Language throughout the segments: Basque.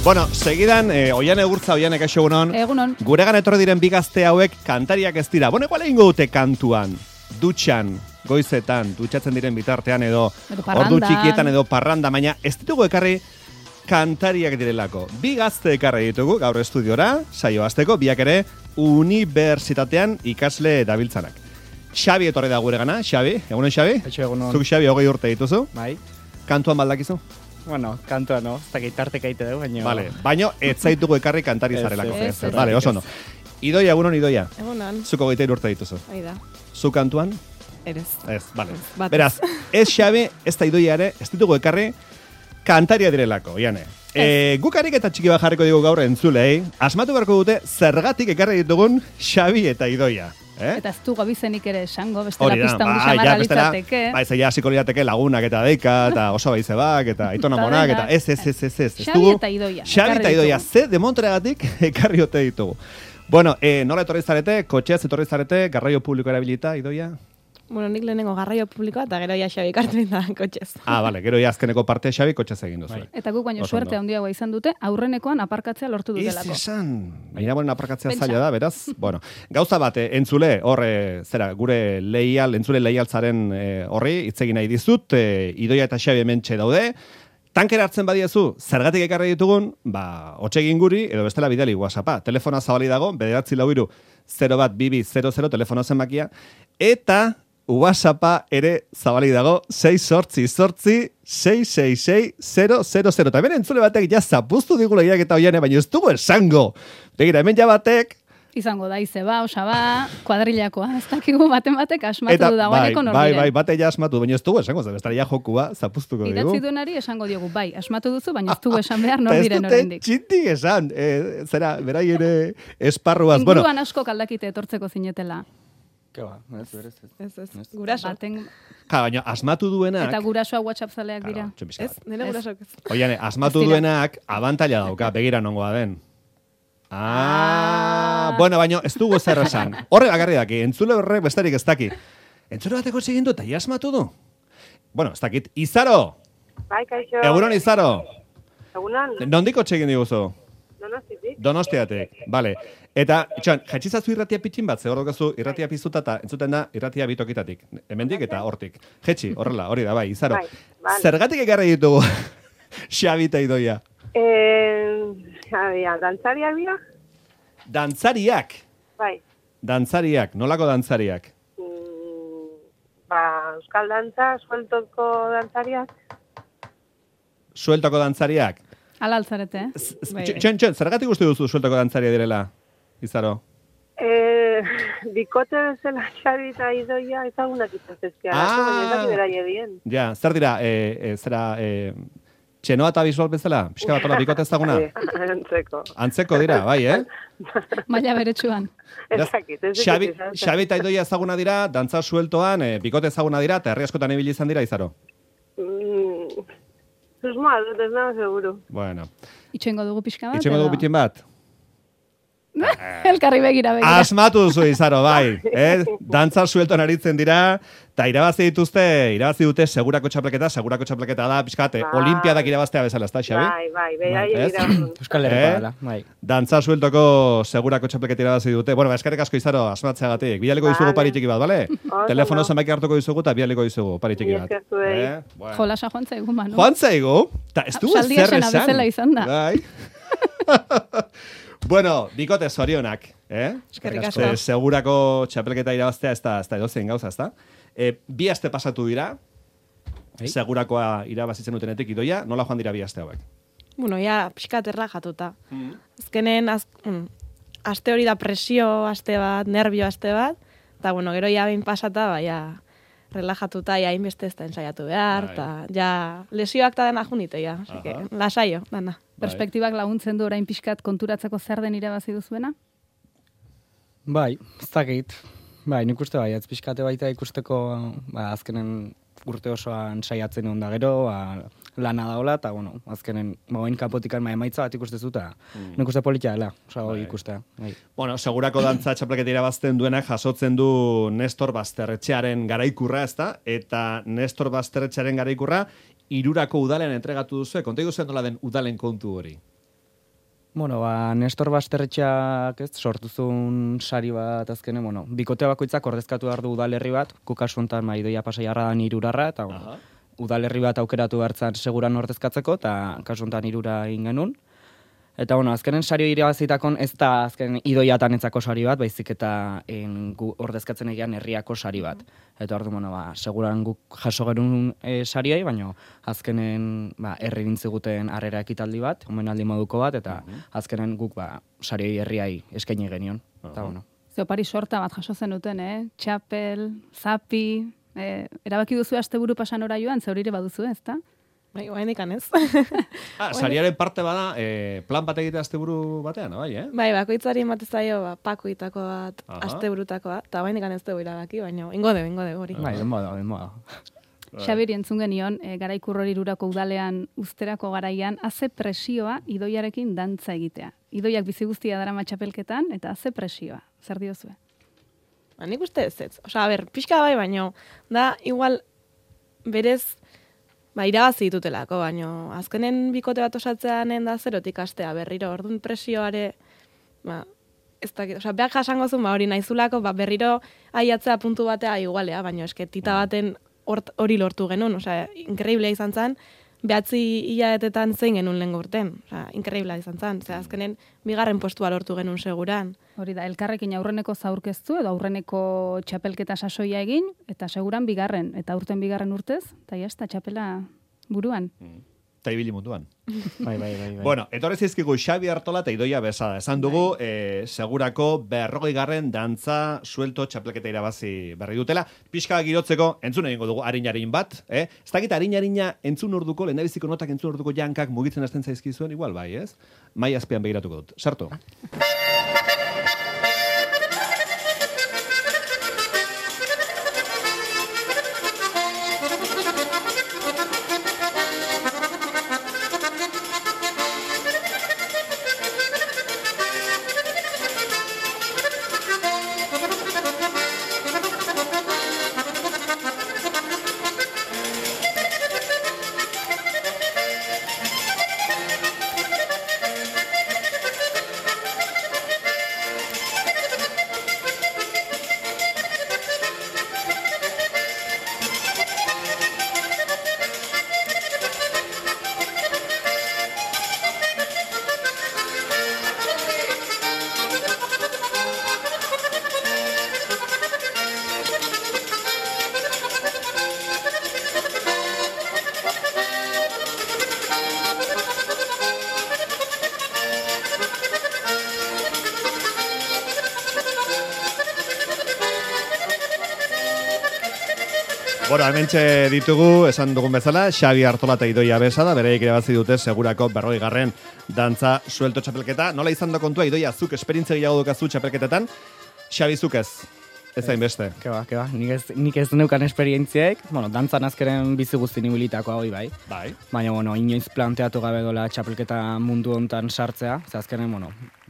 Bueno, segidan, Oiane Gurtza, Oiane kaixo egunon. Egunon. Guregan etorri diren bi gazte hauek kantariak ez dira. Bueno, igual egingo dute kantuan, dutxan, goizetan, dutxatzen diren bitartean edo ordu txikietan edo parranda, baina ez ditugu ekarri kantariak direlako. Bi gazte ekarri ditugu gaur estudiora, saio hasteko, biak ere unibertsitatean ikasle dabiltzanak. Xabi etorri da guregana, Xabi, egunon Xabi? Egunon. Zuk Xabi 20 urte dituzu? Bai. Kantuan baldakizu? Bueno, kantua no, ez dakit tarteka ite dugu, baina... Vale, baina ez zaitugu ekarri kantari zarelako. Vale, oso no. Idoia, egunon Idoia. Egunon. Zuko 20 urte dituzu. Aida. Zu kantuan? Erez. Ez, vale. Batez. Beraz, ez Xabi, ez da Idoia ere, ez ditugu ekarri kantaria direlako, Iane. Guk harik eta txiki bat jarriko digu gaur entzulei, asmatu beharko dute zergatik ekarri ditugun Xabi eta Idoia. Eta ez du gabizenik ere esango, bestela pista hundi samarra litzateke. Bai, zeia hasiko lirateke lagunak eta deika, eta oso baizebak, eta aitona monak, eta ez. Xabi eta Idoia. Xabi eta Idoia, ze demontragatik ekarri ote ditugu. Bueno, nola etorri zarete, kotxeaz etorri zarete, garraio publiko erabilita, Idoia? Bueno, nik lehenengo garraio publikoa eta gero ja Xabi kartzen da kotxez. Vale, gero ja azkeneko parte Xabi kotxez egin duzu. Eta guk baino suerte handiagoa izan dute, aurrenekoan aparkatzea lortu dutelako. Ez esan, baina aparkatzea zaila da, beraz. Bueno, gauza bat, entzule, gure entzule leialtzaren horri, itzegin nahi dizut, Idoia eta Xabi hementxe daude. Tankera hartzen badiezu, zergatik ekarri ditugun, hotsegin guri, edo bestela bidali WhatsAppa. Telefona zabali dago, 943 telefono zenbakia, eta WhatsAppa ere zabali dago 688-666-000. Eta hemen entzule batek ja zapuztu digula iraketa Oiane, baina ez dugu esango. Begira, hemen ja batek... Izango da, izeba, osaba, kuadrilakoa. Ez dakigu batek asmatu du dagoeneko norbiren. Bai, bate ja asmatu, baina ez dugu esango, zebestara ja jokua zapuztuko digu. Idatzi duenari esango diogu, bai, asmatu duzu, baina ez dugu esan behar norbiren oraindik. Ez dute txintik esan, berai ere esparruaz. Inguruan asko kaldakite etortzeko zinetela. Keba, ez. Guraso. Baina asmatu duenak... Eta gurasoa WhatsApp zaleak dira. Ez, nire gurasoak ez. Oiane, asmatu duenak abantaila dauka, begira nongoa den. Bueno, baina ez dugu zer esan. Horre bakarri daki, entzule horrek bestarik ez daki. Entzule bateko egin du, eta asmatu du. Bueno, ez dakit. Izaro! Bai, kaixo. Egunon, Izaro! Egunon. Nondiko txegin diguzu? Donostiatik. Donostiatik, bale. Eta, jatxizazu irratia pitxin bat, zehor dokazu irratia pizuta eta entzuten da irratia bitokitatik. Hemendik eta hortik. Jetxi, horrela, hori da, bai, Izaro. Bai. Zergatik ekarri ditugu Xabi eta Idoia? Dantzariak dira? Dantzariak? Bai. Dantzariak, nolako dantzariak? Euskal dantza, sueltoko dantzariak. Sueltoko dantzariak? Ala altzarete, Txon, zergatik uste duzu sueltoko dantzaria direla, Izaro? Bikote bezala Xabi eta Idoia ezagunak izatezkea. Ja, zer dira, txenoa eta bisual bezala? Pixka bat, bikote ezaguna? Antzeko dira, bai, Maila beretsuan. Xabi eta Idoia ezaguna dira, dantza sueltoan, bikote ezaguna dira, eta herri askotan ibili izan dira, Izaro? Susmoa, ez nago seguru. Bueno. Itxoingo dugu pixka bat? Itxoingo dugu pitin bat? Elkarri begira. Asmatu duzu, Izaro, bai. Dantza sueltoan aritzen dira, eta irabazi dute segurako txapleketa da, pixkate, olimpiadak irabaztea bezala, ez da, Xabi? Bai, Euskal Herrikoa dela, bai. Dantza sueltoko segurako txapleketa irabazi dute. Bueno, eskerrik asko, Izaro, asmatzeagatik. Bidaliko dizugu pari txiki bat, bale? Telefono zenbaki hartuko dizugu eta bidaliko dizugu pari txiki bat. Jolasa joan zaigu, Manu. Joan zaigu? Ta ez dugu zer esan. Bueno, bikote zorionak, Eskerrik asko. Segurako txapelketa irabaztea ez da edozein gauza, ez da? Bi aste pasatu dira, segurakoa irabazitzen utenetik Idoia, nola joan dira bi aste hauek? Bueno, ja, pixkat erlajatuta. Azkenen, aste hori da presio aste bat, nervio aste bat, eta bueno, gero ja behin pasata, ja, relajatuta, ja, inbeste ez da ensaiatu behar, eta ja, lesioak eta dena junite, ja, lasaio, dana. Perspektibak laguntzen du orain pixkat konturatzeko zer den irabazi duzuena? Bai, ez dakit. Bai, nik uste bai, ez pixkate baita ikusteko azkenen urte osoan saiatzen egon da gero, lana daola, eta, bueno, azkenen, oin kapotikan emaitza bat ikuste zuta. Nik uste politia dela, hori ikustea. Bueno, segurako dantza txapelketa irabazten duenak jasotzen du Nestor Basterretxearen garaikurra, ez da? Eta Nestor Basterretxearen garaikurra, 3 udalen entregatu duzu, konta iguzen nola den udalen kontu hori? Bueno, Nestor Basterretxeak sortuzun sari bat azkene, bikote bakoitzak ordezkatu behar du udalerri bat, kukasu honetan Idoia Pasaiarra da Irurarra, eta udalerri bat aukeratu behartzan seguran ordezkatzeko, eta kasu honetan Irura egin genuen. Eta, azkenen sario irabazitakon ez da azken Idoiatan etzako sari bat, baizik eta ordezkatzen egian herriako sari bat. Eta ordu, seguran guk jaso gerun sariai, baina azkenen herri bintziguten harrera ekitaldi bat, omenaldi moduko bat, eta azkenen guk sarioi herriai eskaini genion. Zeopari sorta bat jaso zenuten, txapel, zapi, erabaki duzu asteburu pasan ora joan, zeurire baduzu, ezta? Bai, oain ez. Sariaren parte bada, plan bat egitea asteburu batean, bai, Bai, bakoitzari emate zaio, pakoitako bat, asteburutako bat, eta oain ez dugu irabaki, baina ingo dugu hori. Bai, denboa. Xabiri entzun genion, Garaikurror Irurako udalean usterako garaian, haze presioa Idoiarekin dantza egitea. Idoiak bizi guztia darama txapelketan, eta haze presioa. Zer diozue? Nik uste ez. Pixka bai, baina da, igual, berez, irabazi ditutelako, baina azkenen bikote bat osatzeanen da zerotik astea berriro, orduan presioare, ez dakit, behar jasango zuen, hori naizulako, berriro aiatzea puntu batea igualea, baina eske tita baten hori lortu genuen, inkreiblea izan zen, behatzi hilabetetan zein genuen lehen urten, inkreiblea izan zen, azkenen bigarren postua lortu genuen seguran. Hori da, elkarrekin aurreneko zaurkeztu edo aurreneko txapelketa sasoia egin, eta seguran bigarren, eta urten bigarren urtez, eta jazta txapela buruan. Eta ibili munduan. Bai. Bueno, etorri zizkigu Xabi Artola eta Idoia Besada. Esan dugu, segurako 40. dantza suelto txapelketa irabazi berri dutela. Pixka girotzeko, entzun egingo dugu arin bat. Ez dakit arin-arina entzun orduko, lehendabiziko notak entzun orduko jankak mugitzen hasten zaizkizuen, igual bai, ez? Mai azpian begiratuko dut. Sartu. Bueno, hementxe ditugu, esan dugun bezala, Xabi Artola eta Idoia Besada, bereik irabazi dute segurako 40. dantza suelto txapelketa. Nola izan da kontua, Idoia, zuk esperientzia gehiago dukazu txapelketetan, Xabi zuk ez hain beste. Keba, nik ez neukan esperientziek, dantzan azkeren bizi guztin ibilitakoa hori bai. Baina, inoiz planteatu gabe dola txapelketa mundu hontan sartzea, ze azkenen,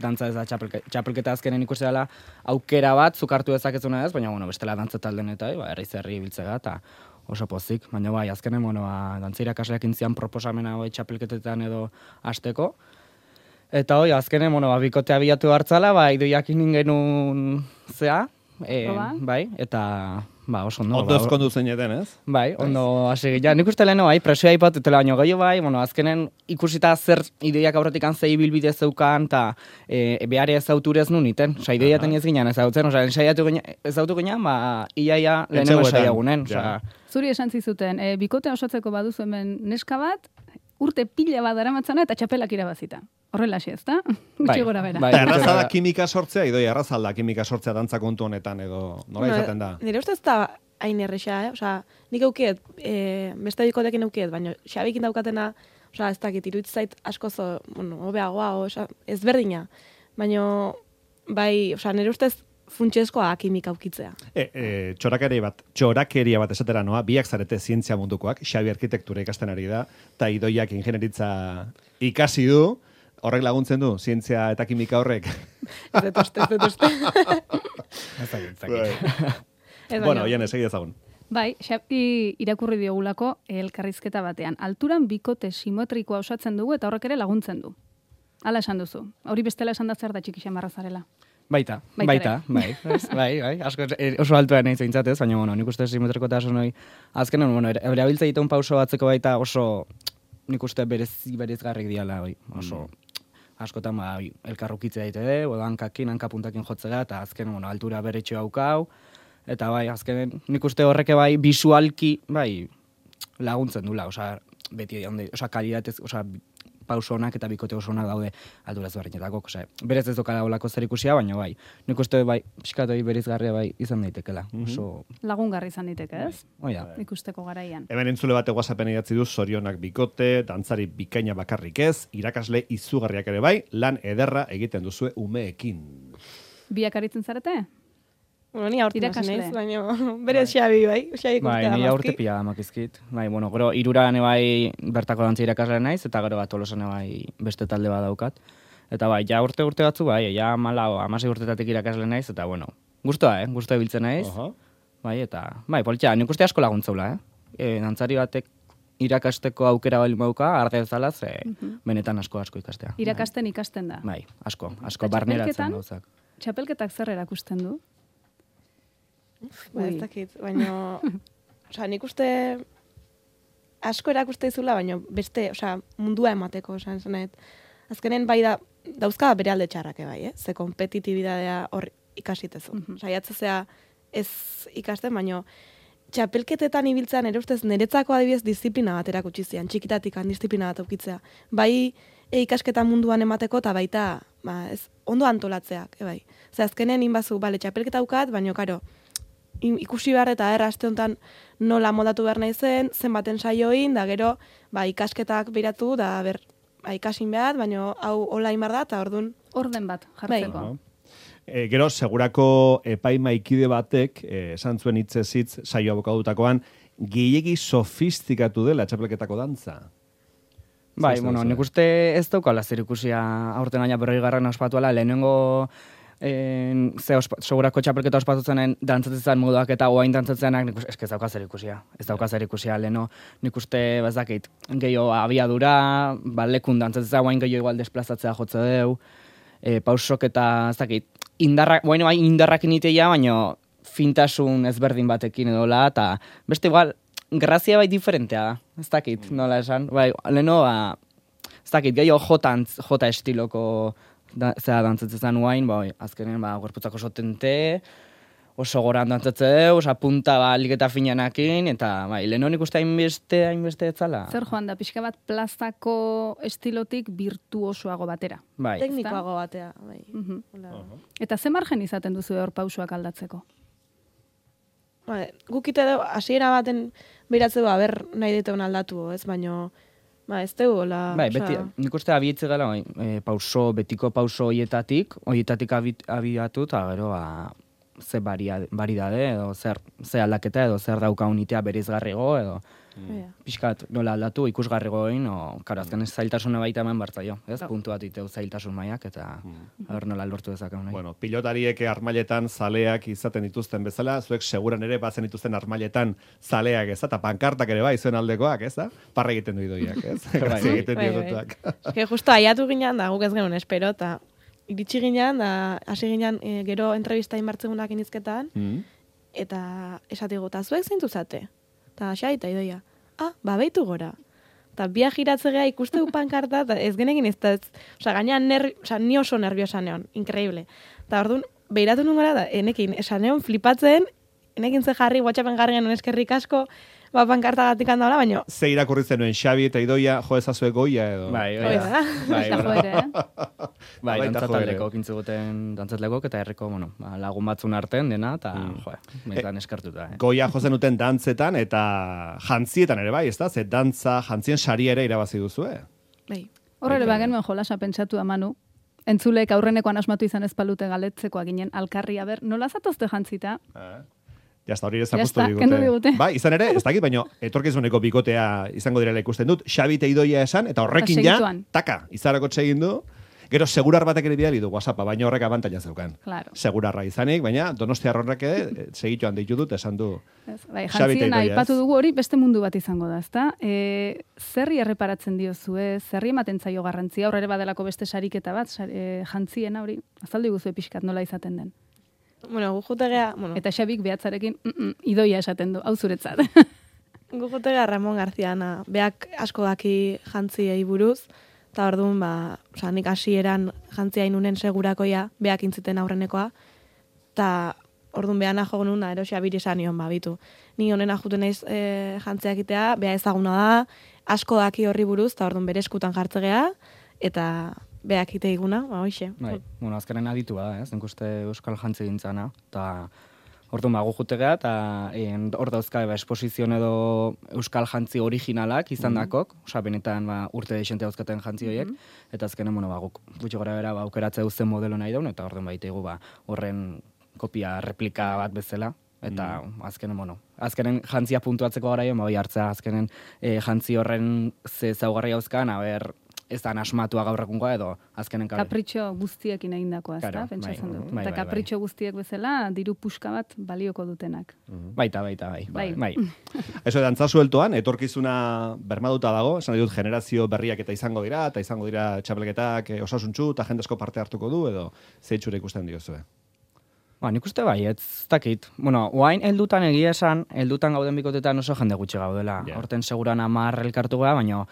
dantza ez da txapelketa azkenen ikusi dela aukera bat, zuk hartu dezakezuna ez, baina, bestela dantza talden eta, herri biltzega, eta oso pozik. Baina, azkenen, dantza irakasleak intzian proposamena txapelketetan edo hasteko. Eta, azkenen, bikotea bilatu hartzala, Idoiak genuen zea, bai, eta oso ondo. Ondo ezkondu zeineten, ez? Bai, ondo hasi gila. Nik uste leheno, presioa ipatutela baino gehiago bai, azkenen ikusita zer Idoiak aurretik zei bilbide zeukan, eta behare ezauturez nun iten. Idoia teniez ginen ezautzen, ezautu ginen, iaia lehenengo saiagunen. Zuri esan zizuten, bikote osatzeko baduzu hemen neska bat, urte pila bat daramatzana eta txapelak irabazita. Horrela xe, ezta? Gutxi gora bera. Eta erraza da kimika sortzea, Idoia, erraza da kimika sortzea dantza kontu honetan, edo nola izaten da? Nire uste ez da hain erresa, nik eukiet, beste bikotekin eukiet, baina Xabikin daukatena, ez dakit, iruditzait askozo, hobeagoa, ezberdina. Baina, bai, nire ustez funtsezkoa kimika aukitzea. Txorakeria bat esatera noa, biak zarete zientzia mundukoak, Xabi arkitektura ikasten ari da, eta Idoiak ingenieritza ikasi du, horrek laguntzen du, zientzia eta kimika horrek. Ez dut uste. Bueno, oian, esegi ezagun. Bai, Xabi irakurri diogulako elkarrizketa batean. Alturan bikote simetrikoa osatzen dugu eta horrek ere laguntzen du. Hala esan duzu. Hori bestela esan da zer da txiki xamarra zarela. Baita, bai, asko oso altua nahi zeintzatez, baina, bueno, nik uste simetrikotasun hori, azkenen, bueno, erabiltza dituen pauso batzeko baita oso, nik uste berezgarrik diala, oso, askotan, elkarrukitzea daite oda hankapuntakin jotzea, eta azken, bueno, altura beretxo haukau, eta bai, azkenen, nik uste horreke bai, bisualki, bai, laguntzen dula, osa, beti, osa, kalidatez, osa, pauso honak eta bikote oso onak daude alduraz barrinetako, berez ez dokala olako zer ikusia, baina bai, nik uste bai, pixkatoi berizgarria bai izan daitekela. Lagungarri izan daiteke, ez? Oia. Ikusteko garaian. Hemen entzule bate WhatsAppen idatzi du, zorionak bikote, dantzari bikaina bakarrik ez, irakasle izugarriak ere bai, lan ederra egiten duzue umeekin. Biak aritzen zarete? Bueno, ni aurten naiz, baina berez Xabi, bai? Bai, ni aurte pila makizkit. Bai, bueno, gero iruran bai bertako dantza irakasle naiz, eta gero Tolosan bai beste talde bat daukat. Eta bai, ja urte batzu, bai, ja 16 urtetatik irakasle naiz, eta bueno, gustoa, gustoa ibiltzen naiz. Bai, eta, bai, politxa, nik uste asko laguntzaula, dantzari batek irakasteko aukera bali mauka, arde bezala, benetan asko ikastea. Ikasten da. Bai, asko barneratzen gauzak. Txapelketak zer erakusten du? Ez dakit, baina, oza, nik uste asko erakuste izula, baina beste, oza, mundua emateko, oza, azkenen bai dauzka bere alde txarrake bai, ze kompetitibidadea hor ikasitezu. Oza, jatzezea ez ikasten, baina txapelketetan ibiltzean ere ustez niretzako adibidez disiplina bat erakutsi zian, txikitatik disiplina bat aukitzea. Bai ikasketa munduan emateko eta baita, ez, ondo antolatzeak, bai. Ze azkenen inbazu, bale, txapelketa aukat, baina, karo, ikusi behar eta aste honetan nola moldatu behar nahi zenbaten saioin, da gero ikasketak biratu, da ikasin behar, baina hau online behar da, eta orduan... Orden bat, jartzeko. Gero, segurako epaimaikide batek, esan zuen hitzez saio abokadutakoan, gehiegi sofistikatu dela txapelketako dantza. Bai, bueno, nik uste ez daukala zer ikusia aurten aina 40 ospatuala, lehenengo segurako txapelketa ospatutzenen dantzatzen moduak eta oain dantzatzenak ez dauka zer ikusia. Ez dauka zer ikusia, leheno nik uste bazakit gehiago abiadura, lekun dantzatzen oain gehiago igual desplazatzea jotze deu, pausok eta ez dakit, indarrak initea, baina fintasun ezberdin batekin edola, eta beste igual, grazia bai diferentea da, ez dakit, nola esan, bai, leheno, ez dakit, gehiago jota estiloko zera dantzatzen uain, azkenen gorputzak oso tente, oso goran dantzatzen, oso punta liketa finanakin, eta leheno nik uste hainbeste etzala. Zer joan da, pixka bat plazako estilotik virtuosoago batera. Bai. Teknikoago batea. Bai. Eta ze margen izaten duzu hor pausuak aldatzeko? Gukite du, hasiera baten beratzeu, nahi diteun aldatu, ez, baino... ez dugu, hola... Bai, beti, nik uste abietze gala, betiko pauso hoietatik abiatu, eta gero, ze baridade, edo ze aldaketa, edo zer dauka unitea berizgarrigo, edo pixkat nola aldatu ikusgarrigo egin, karo, azken zailtasuna baita hemen bartzaio, ez? Puntu bat iteu zailtasun maiak, eta nola lortu dezakeu nahi. Bueno, pilotariek armailetan zaleak izaten dituzten bezala, zuek seguran ere bazen dituzten armailetan zaleak, ez da? Eta pankartak ere bai, zuen aldekoak, ez da? Parra egiten du idoiak, ez? Grazia egiten diotuak. Justo aiatu ginean da, guk ez genuen espero, eta iritsi ginean, da, hasi ginean gero entrevista inbartzegunak inizketan, eta esatigu, eta zuek zeintu zate? Eta xaita idoia, beitu gora. Eta bia giratzea ikustegu pankarta, eta ez genekin ez da, gainean ni oso nerviosa neon, increíble. Eta orduan, behiratu nun gara, da, enekin, esan neon flipatzen, enekin ze jarri, WhatsAppen jarri genuen eskerrik asko, pankarta gatik handaola, baina... Ze irakurri zenuen, Xabi eta Idoia, jo ezazue goia edo? Bai, dantzataleko kintzuguten dantzatlekok, eta herriko, lagun batzun arten dena, eta, metan eskartuta. Goia jo zenuten dantzetan, eta jantzietan ere bai, ez da? Ze dantza, jantzien sari ere irabazi duzue? Bai. Horre bagen nuen jolasa pentsatu Manu, entzulek aurrenekoan asmatu izan ezpalute galetzekoa ginen, alkarri, nola zatozte jantzita? Jazta, hori ezakustu digute. Ba, izan ere, ez dakit, baina etorkizuneko bikotea izango direla ikusten dut. Xabi eta Idoia esan, eta horrekin ja, taka, izarako txegin du. Gero, segurar batek ere bidali du WhatsAppa, baina horrek abantaila zeukan. Claro. Segurarra izanik, baina Donostiar horrek ere segituan deitu dut, esan du. Bai, jantzien aipatu dugu hori beste mundu bat izango da, ezta? Zerri erreparatzen diozue, zerri ematen zaio garrantzia, aurrera badelako beste sariketa bat, jantziena hori, azaldu guzue pixkat nola izaten den. Bueno, gujutegea... Bueno. Eta Xabik behatzarekin idoia esaten du, hau zuretzat. Gujutegea Ramon Garziana, beak asko daki jantziei buruz, eta orduan, nik hasieran jantzia inunen segurakoia, beak intziten aurrenekoa, eta orduan behana jo nuna, erosia esan nion, bitu. Ni honena juten naiz jantzia egitea, beha ezaguna da, asko daki horri buruz, eta orduan bere eskutan jartzegea, eta beak ite iguna, hoxe. Bai, bueno, azkenen aditua da, ez? Ikuste euskal jantzi gintzana, eta orduan gu jutegea, eta hor dauzka esposizion edo euskal jantzi originalak izan dakok, osa benetan urte deixente dauzkaten jantzi horiek, eta azkenen, guk gutxi gara bera aukeratze duzen modelo nahi daun, eta orduan baitegu horren kopia, replika bat bezala, eta azkenen jantzia puntuatzeko garaio, bai hartzea, azkenen jantzi horren ze zaugarri hauzkan, ez da asmatua gaur egungoa edo azkenen kapritxo guztiekin egindakoa, ezta? Pentsatzen dut. Eta kapritxo guztiek bezala diru puska bat balioko dutenak. Baita. Eso dantza sueltoan etorkizuna bermaduta dago, esan dut generazio berriak eta izango dira txapelketak osasuntsu eta jende asko parte hartuko du edo zeitxura ikusten diozue. Nik uste bai, ez dakit. Oain heldutan egia esan, heldutan gauden bikotetan oso jende gutxi gaudela. Horten seguran 10 elkartu gara, baina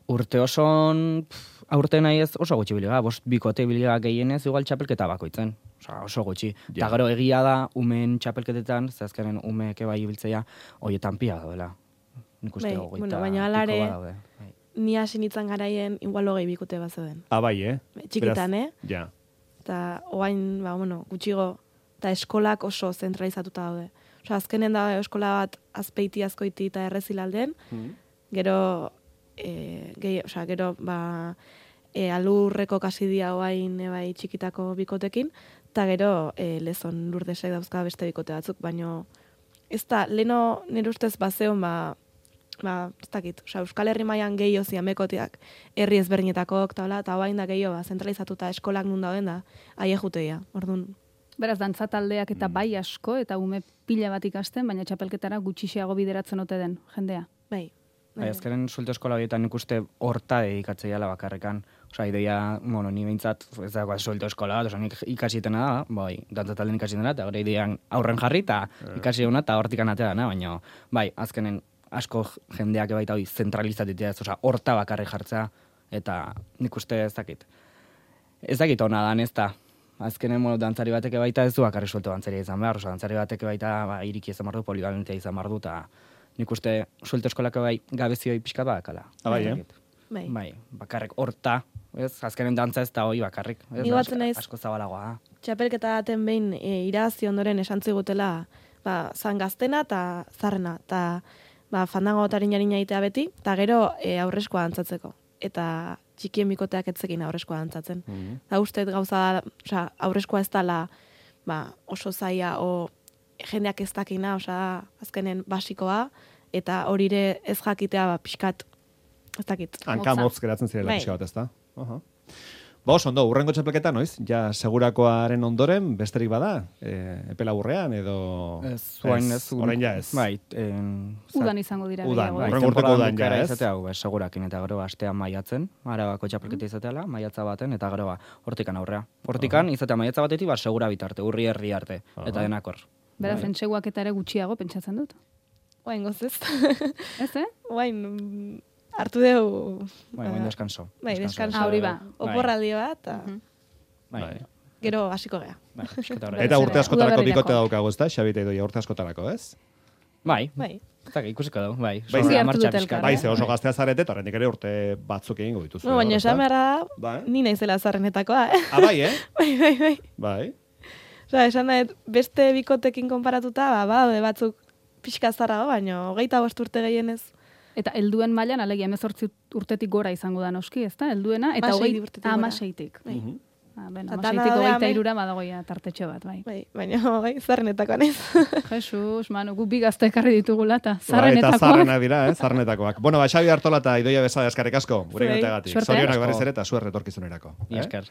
urte oson, aurte nahi ez oso gutxi biliga, 5 bikote biliga gehienez igual txapelketa bakoitzen. Oso gutxi. Eta gero egia da, umen txapelketetan, zehazkaren umeke bai ibiltzea, hoietan pia daudela. Nik uste gogoita. Baina alare, ni hasi nintzen garaien igual 20 bikote bat zeuden. Bai, Txikitan, Ja. Eta oain, gutxigo, eta eskolak oso zentralizatuta daude. Azkenen da eskola bat azpeiti, azkoiti eta errezilalden, gero alurreko kasidia oain bai txikitako bikotekin, eta gero lezon lurdesek dauzka beste bikote batzuk, baino ez da, leno nire ustez bazeon, ez dakit, Euskal Herri mailan gehiago ziamekoteak herri ezberdinetako, eta oain da gehiago, zentralizatuta eskolak nun dauden da, aie juteia, orduan. Beraz, dantza taldeak eta bai asko, eta ume pila bat ikasten, baina txapelketara gutxiago bideratzen ote den, jendea. Bai. Azkaren suelto eskola horietan ikuste horta dedikatzea bakarrekan. Ideia, ni behintzat, ez dagoa suelto eskola bat, nik ikasietena da, bai, dantza talden ikasietena, eta gure idean aurren jarri, eta ikasi eguna, eta hortik anatea dana, baina, bai, azkenen asko jendeak baita hori zentralizatetea, horta bakarri jartzea, eta nik uste ez dakit. Ez dakit hona dan, ez da. Azkenen dantzari bateke baita ez du bakarri suelto dantzaria izan behar, dantzari bateke baita iriki izan bardu, polivalentia izan bardu, eta nik uste suelto eskolako bai gabezioi pixkat badakala. Bai, bakarrik horta, azkenen dantza ez da hori bakarrik. Asko zabalagoa. Txapelketa daten behin irazi ondoren esan zigutela zan gaztena eta zarrena, eta fandango tarin-jarina itea beti, eta gero aurreskoa dantzatzeko. Eta txikien bikoteak etzekin aurreskoa dantzatzen. Eta usteet gauza da, aurreskoa ez dala oso zaila o jendeak ez dakina, azkenen basikoa, eta hori ere ez jakitea pixkat, ez dakit. Hankamotz geratzen zirela pixka bat, ez da? Ondo, urrengo txapelketa, noiz? Ja, segurakoaren ondoren, besterik bada? Epe laburrean, edo... Orain ja ez. Bai. Udan izango dira. Urrengo urteko udan ja ez. Segurakin, eta gero astean maiatzen, Arabako txapelketa izateala, maiatza baten, eta gero hortikan aurrea. Hortikan, izatea maiatza batetik, segura bitarte, urri herri arte, eta denakor. Beraz, entseguak eta ere gutxiago pentsatzen dut. Oain gozez. Ez, Oain hartu dugu... Oain deskanso. Bai, deskanso. Hori ba. Oporraldi bat, gero hasiko gea. Eta urte askotarako bikote daukago, ez da? Xabita idoia urte askotarako, ez? Bai. Ikusiko dugu, bai. Bai, ze oso gaztea zarete, eta horrenik ere urte batzuk egingo dituzu. Baina esan behar da, ni naizela zarrenetakoa, Bai, Bai. Esan da, beste bikotekin konparatuta, batzuk pixka zarrago, baina 25 urte gehienez. Eta helduen mailan alegia 18 urtetik gora izango da noski, ezta? Helduena eta 16tik. Beno, 16tik 23 badagoia tartetxo bat, bai. Baina zarrenetakoa nez. Jesus, Manu, gu bi gazte ekarri ditugula eta zarrenetakoak. Eta zarrena dira, zarrenetakoak. Bueno, Xabi Artola eta Idoia Besada eskarrik asko, gure gateagatik. Zorionak berriz ere eta zuer retorkizunerako. Esker.